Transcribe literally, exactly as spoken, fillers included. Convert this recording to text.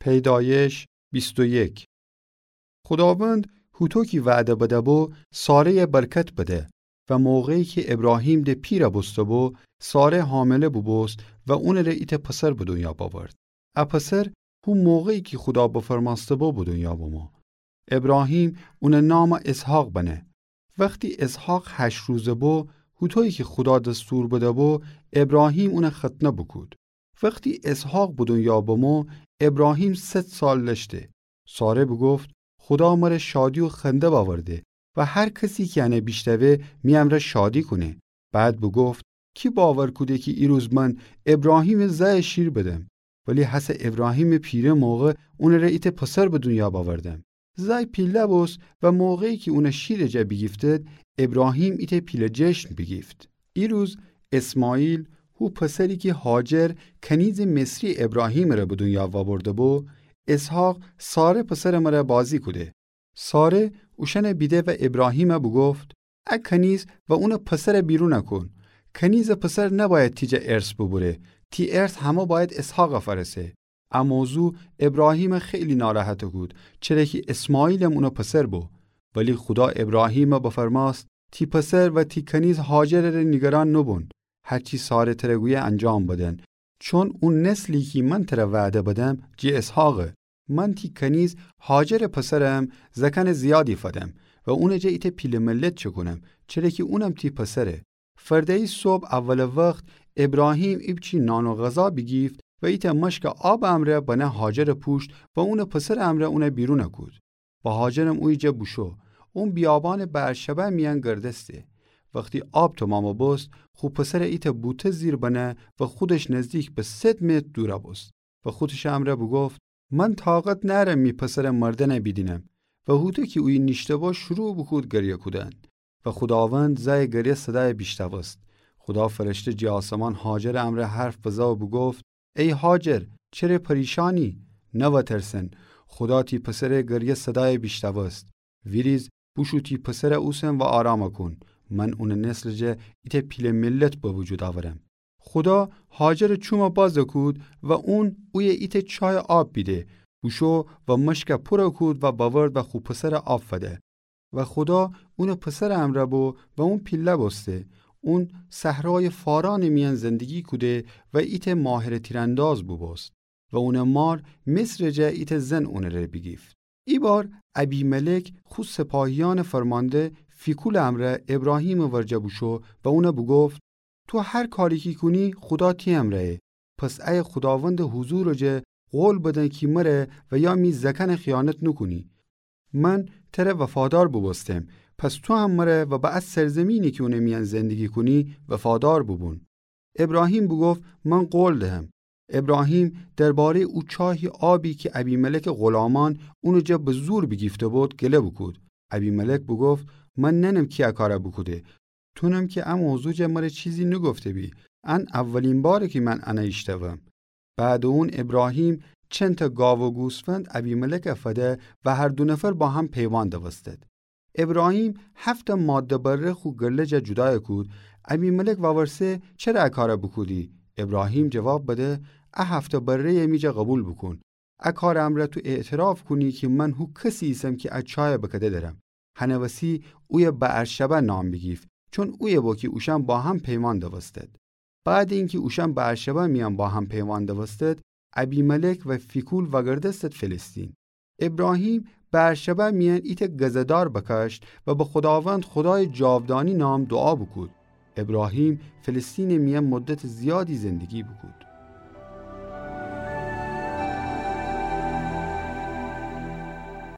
پیدایش بیست و یک. خوداوند هوطو کی وعده بده‌بو، ساره‌یَ برکت بده و موقعی کی ابراهیم د پیرَ بوسته‌بو، ساره حامله بوبوست و اونٚره ایتأ پسر به دونیا بأورد. ا پسر هو موقعی کی خودا بفرمأسته‌بو به دونیا بمو. ابراهیم اونٚ نامَ اسحاق بنه. وختی اسحاق هشت روزه بو، هوطویی کی خودا دستور بده‌بو، ابراهیم اونَ ختنه بوکود. وختی اسحاق به دونیا بمو، ابراهیم صد سال لشته. ساره بوگفت: خودا مره شادی و خنده بأورده و هر کسی کی انَ بیشنوه می امرأ شادی کونه. بعد بوگفت: کی باور کوده کی ایروز من ابراهیمٚ زأیَ شیر بدم؟ ولی هسه ابراهیمٚ پیره موقع اونٚره ایتأ پسر به دونیا بأوردم. زأی پیله بوست و موقعی کی اونَ شیرٚ جا بیگیفتید، ابراهیم ایتأ پیله جشن بیگیفت. ایروز اسماعیل، هو پسری کی هاجر کنیزٚ مصری ابراهیمٚ ره به دونیا وأبرده‌بو، اسحاق ساره پسرٚ مره بازی کوده. ساره اوشأنَ بیده و ابراهیمَ بوگفت: ا کنیز و اونٚ پسرَ بیرونَ کون. کنیزٚ پسر نبأید تی جا ارث بوبوره. تی ارث همه بأید اسحاقَ فأرسه. ا موضوع ابراهیمَ خیلی ناراحت کود، چره کی اسماعیلم اونٚ پسر بو. ولی خودا ابراهیمَ بفرمأست: تی پسر و تی کنیز هاجرٚ ره نیگران نوبون. هرچی ساره تره گویه انجام بدن، چون او نسلی کی من تره وعده بدم، جٚه اسحاقه. من تی کنیز هاجرٚ پسرم زأکأنٚ زیادی فدم و اونٚ جا ایتأ پیله ملت چکونم، چره کی اونم تی پسره. فرده‌یی صبح اولٚ وخت ابراهیم ایپچی نان و غذا بیگیفت و ایتأ مشکٚ آبٚ امرأ بنه هاجرٚ پوشت و اونٚ پسرٚ امرأ اونَ بیرونَ کود. و هاجرم اویه جا بوشو. اون بیابانٚ بعرشبه میأن گردسته. وختی آب تومامَ بوست، خو پسرَ ایتأ بوته زیر بنه و خودش نزدیک به صد متر دورَ بوست و خودشٚ امرأ بوگفت: من طاقت نأرم می پسرٚ مردنَ بیدینم. و هوطو کی اویه نیشته‌بو شروع بوکود گریه کودن. و خوداوند زأیٚ گریه صدایَ بیشنوست. خودا فرشته جٚه آسمان هاجرٚ امرأ حرف بزه و بوگفت: ای هاجر، چره پریشانی؟ نوأ ترسن، خودا تی پسرٚ گریه صدایَ بیشنوست. ویریز، بوشو تی پسرَ اوسن و آرامَ کون. من اونٚ نسلٚ جا ایتأ پیله ملت به وجود آورم. خودا هاجرٚ چومَ بازَ کود و اون اویه ایتأ چایٚ آب بیده. بوشو و مشکَ پورَ کود و بأورد و خو پسرَ آب فده. و خودا اونٚ پسرٚ امرأ بو و اون پیله بوسته. اون صحرایٚ فارانٚ میأن زندگی کوده و ایتأ ماهرٚ تیرانداز بوبوست. و اونٚ مار مصرٚ جا ایتأ زن اونٚ ره بیگیفت. ایبار ابیملک خو سپاهیأنٚ فرمانده فیکولٚ امرأ ابراهیمٚ ورجه بوشو و اونَ بوگفت: تو هر کاری کی کونی، خودا تی امرأیه. پس ایه خوداوندٚ حضورٚ جا قول بدن کی مره و یا می زأکأنَ خیانت نوکونی. من تره وفادار بوبوستم، پس تو هم مره و به ا سرزمینی کی اونٚ میأن زندگی کونی وفادار بوبون. ابراهیم بوگفت: من قول دهم. ابراهیم درباره‌یٚ او چاهی آبی کی ابیملکٚ غلامأن اونٚ جا به زور بیگیفته بود، گله بوکود. ابیملک بوگفت: من نأنم کی ا کارَ بوکوده. تونم کی ا موضوع جا مره چیزی نوگفته‌بی. ان اولین باره کی من انَ ایشتأوم. بعدٚ اون ابراهیم چندتأ گاو و گوسفند ابیملکَ فده و هر دو نفر با هم پیوأن دوستد. ابراهیم هفت‌تأ ماده بره خو گله جا جودایَ کود. ابیملک وورسه: چره ا کارَ بوکودی؟ ابراهیم جواب بده: ا هفت‌تأ بره‌یَ می جا قوبیل بوکون. ا کارٚ امرأ تو اعتراف کونی کی من هو کسی ایسم کی ا چایَ بکده درم. هنٚ وسی اویه بعرشبه نام بیگیفت، چون اویه بو کی اوشأن با هم پیمأن دوستد. بعدٚ اینکی اوشأن بعرشبه میأن با هم پیمأن دوستد، ابیملک و فیکول وأگردستد فلسطین. ابراهیم بعرشبه میأن ایتأ گزه‌دار بکأشت و به خوداوند خودایٚ جاودانی نام دوعا بوکود. ابراهیم فلسطینٚ میأن مدتٚ زیادی زندگی بوکود.